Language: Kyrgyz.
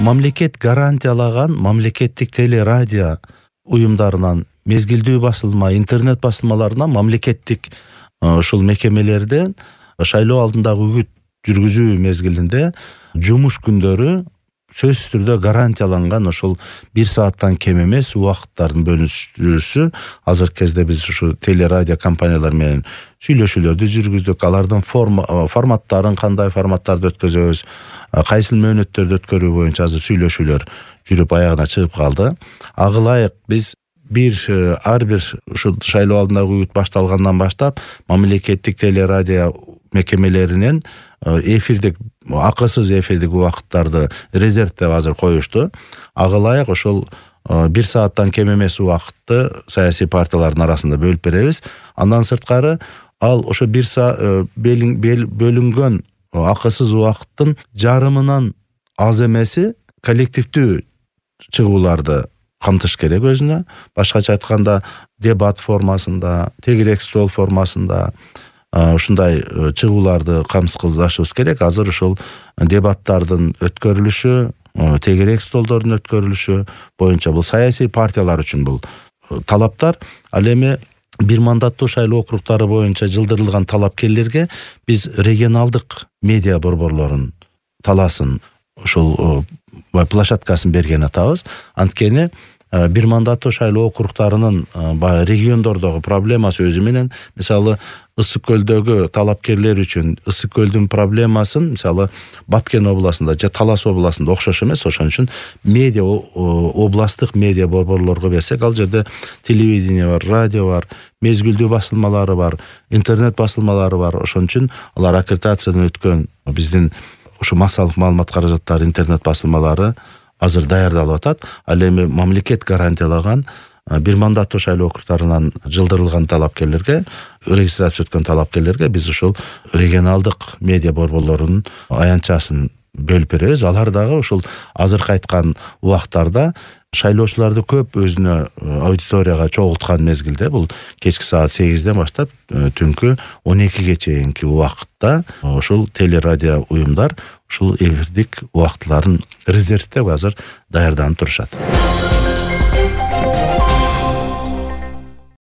мамлекет гарантиялаган мамлекеттик телерадио уюмдарынан, мезгилдүү басылма, интернет басылмаларынан, мамлекеттик ушул мекемелерден шайлоо алдындагы үгүт жүргүзүү мезгилинде жумуш күндөрү сөзсүз түрдө гарантияланган ошол 1 сааттан кем эмес убакыттардын бөлүнүшүсү. Азыркы кезде биз ушу телерадио компаниялар менен сүйлөшүүлөрдү жүргүздүк. Алардын форматтарын, кандай форматтарды өткөзөбүз, кайсыл мөөнөттөрдү өткөрүү боюнча азыр сүйлөшүүлөр жүрүп аягына чыгып калды. Ага ылайык биз ар бир ушу шайлоо алдындагы үгүт башталгандан баштап мамлекеттик телерадио мекемелеринен эфирдик, акысыз эфирдик убакыттарды резервдеп азыр коюшту. Ага ылайык ошол 1 сааттан кем эмес убакытты саясий партиялардын арасында бөлүп беребиз. Андан сырткары ал ошо 1 саат бөлүнгөн акысыз убакыттын жарымынан аз эмеси коллективдүү чыгууларды камтыш керек өзүнө. Башкача айтканда дебат формасында, тегерек стол формасында ушундай чыгууларды камсыздашыбыз керек. Азыр ушул дебаттардын өткөрүлүшү, тегерек столдордун өткөрүлүшү боюнча бул саясий партиялар үчүн бул талаптар. Ал эми бир мандаттуу шайлоо округдары боюнча жылдырылган талапкерлерге биз регионалдык медиа борборлорун таласын, ушул площадкасын берген атабыз. Анткени бир мандаттуу шайлоо округдарынын региондордогу проблемасы өзү менен, мисалы Ысык көлдөгү талапкерлер үчүн Ысык көлдүн проблемасын мисалы Баткен областында же Талас областында окшош эмес. Ошон үчүн медиа областтык медиа борборлорго берсек, ал жерде телевидение бар, радио бар, мезгилдүү басылмалары бар, интернет басылмалары бар. Ошон үчүн алар аккредитациядан өткөн биздин ушу массалык маалымат каражаттары, интернет басылмалары азыр даярдалып атат. Ал эми мамлекет гарантиялаган бир мандаттуу шайлоо округдарынан жылдырылган талапкерлерге, регистрация өткөн талапкерлерге биз ушул регионалдык медиа борборлорунун аянтчасын бөлүп беребиз. Алар дагы ушул азыркы айткан убактарда шайлоочуларды көп өзүнө аудиторияга чогулткан мезгилде, бул кечки саат 8ден баштап түнкү 12ге чейинки убакытта ушул телерадио уюмдар ушул эфирдик убактыларын резервдеп азыр даярданып турушат.